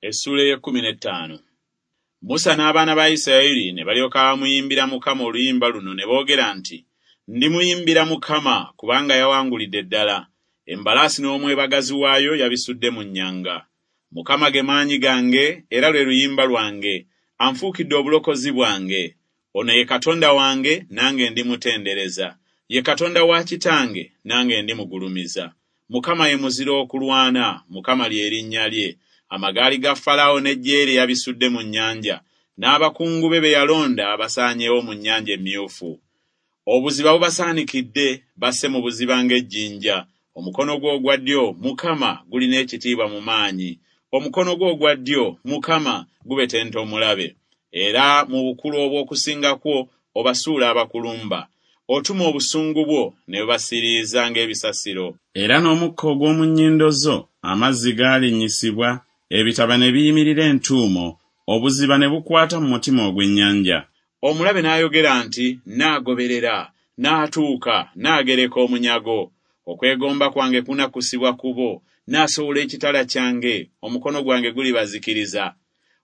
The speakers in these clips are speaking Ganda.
Essuula ey'ekkumi n'ettaano. Musa n'abaana ba Isirayiri ne balyoka bamuyimbira Mukama oluyimba luno ne boogera nti, Ndimuyimbira Mukama, kubanga yawangulidde ddala. Embalaasi n'omwebagazi waayo yabisudde mu nnyanga. Mukama ge maanyi gange era lwe luyimba lwange, anfuukidde obulokozi bwange. Ono ye Katonda wange, nange ndimutendereza, ye Katonda wa kitange, nange ndimugulumiza. Mukama ye muzira okulwana, Mukama lye linnya lye. Amagaali ga Falaawo n'eggye lye yabisudde mu nnyanja, n'abakungu be be yalonda basaanyeewo mu Nnyanja Emmyufu. Obuziba bubasaanikidde, basse mu buziba ng'ejjinja. Omukono gwo ogwa ddyo, Mukama, gulina ekitiibwa mu maanyi. Omukono gwo ogwa ddyo, Mukama, gubetenta omulabe. Era mu bukulu obw'okusinga kwo obasuula abakulumba. Otuma obusungu bwo, ne bubasiriiza ng'ebisasiro. Era n'omukka ogw'omu nnyindo zo amazzi gaalinnyisibwa, ebitaba ne biyimirira entuumo, obuziba ne bukwata mu mutima ogw'ennyanja. Omulabe n'ayogera nti, Nnaagoberera, nnaatuuka, nnaagereka omunyago. Okwegomba kwange kunakkusibwa ku bo, nnaasowola ekitala kyange, omukono gwange gulibazikiriza.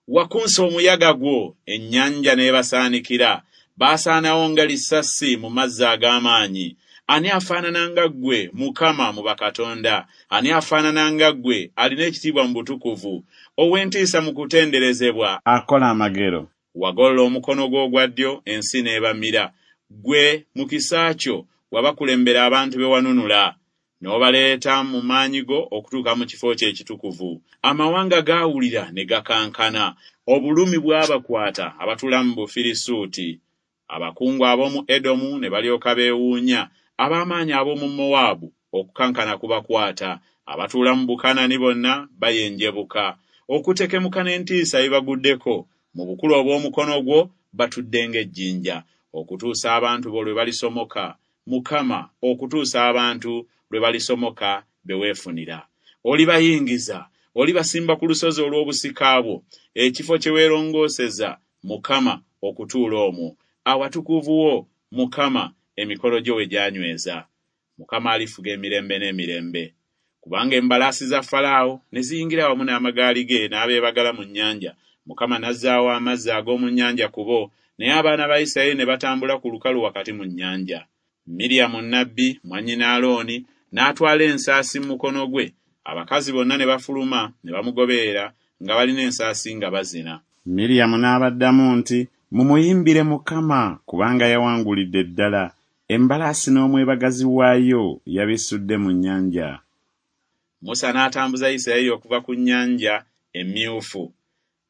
Wakunsa omuyaga gwo, ennyanja n'ebasaanikira, baasaanawo nga lisasi mu mazzi ag'amaanyi. Ani afaanana nga ggwe, Mukama, mu bakatonda? Ani afaanana nga ggwe, alina ekitiibwa mu butukuvu, ow'entiisa mu kutenderezebwa, akola amagero? Wagolola omukono gwo ogwa ddyo, ensi n'ebamira. Ggwe, mu kisa kyo, wabakulembera abantu be wanunula, n'obaleeta mu maanyi go okutuuka mu kifo kyo ekitukuvu. Amawanga gaawulira ne gakankana, obulumi bwabakwata abatuula mu Bufirisuuti. Abakungu ab'omu Edomu ne balyoka beewuunya, ab'amaanyi ab'omu Mowaabu okukankana kubakwata, abatuula mu Bukanani bonna bayenjebuka. Okutekemuka n'entiisa bibaguddeko, mu bukulu obw'omukono gwo batudde ng'ejjinja, okutuusa abantu bo lwe balisomoka, Mukama, okutuusa abantu lwe balisomoka be weefunira. Olibayingiza, olibasimba ku lusozi olw'obusika bwo, ekifo kye weerongooseza, Mukama, okutuula omwo, awatukuvu wo, Mukama, emikono gyo we gyanyweza. Mukama alifuga emirembe n'emirembe. Kubanga embalaasi za Falaawo ne ziyingira wamu n'amagaali ge n'abeebagala mu nnyanja, Mukama n'azzaawo amazzi ag'omu nnyanja ku bo, naye abaana ba Isirayiri ne batambula ku lukalu wakati mu nnyanja. Miryamu nnabbi, mwannyina Alooni, n'atwala ensaasi mu mukono gwe, abakazi bonna ne bafuluma ne bamugoberera nga balina ensaasi nga bazina. Miryamu n'abaddamu nti, Mumuyimbire Mukama, kubanga yawangulidde ddala, embalaasi n'omwebagazi waayo yabisudde mu nnyanja. Musa n'atambuza Isirayiri okuva ku Nnyanja Emmyufu.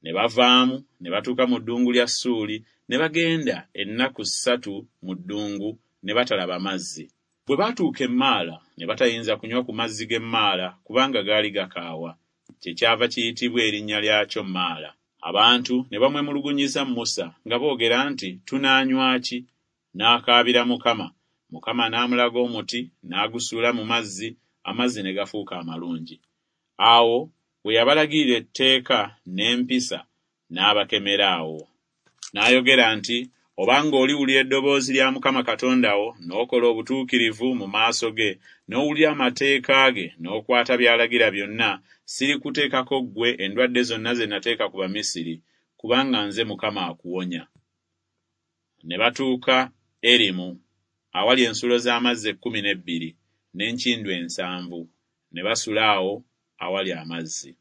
Ne bavaamu ne batuuka mu ddungu lya Ssuuli, ne bagenda ennaku ssatu mu ddungu, ne batalaba mazzi. Bwe baatuuka e Maala, ne batayinza kunywa ku mazzi g'e Maala, kubanga gaali gakaawa. Kyekyava kiyitibwa erinnya lyakyo Maala. Abantu ne bamwemulugunyiza Musa nga boogera nti Tunaanywa ki? N'akaabira Mukama, Mukama n'amulaga omuti, n'agusuula mu mazzi, amazzi ne gafuuka amalungi. Awo we yabalagirira etteeka n'empisa, n'abakemera awo. N'ayogera nti Obanga oliwulira eddoboozi lya Mukama Katonda wo, n'okola obutuukirivu mu maaso ge, n'owulira amateeka ge, n'okwata by'alagira byonna, sirikuteekako ggwe endwadde zonna ze nateeka ku Bamisiri, kubanga nze Mukama akuwonya. Ne batuuka Erimu, awali ensulo z'amazzi ekkumi n'ebbiri, n'enkindu ensanvu, ne basula awo awali amazzi.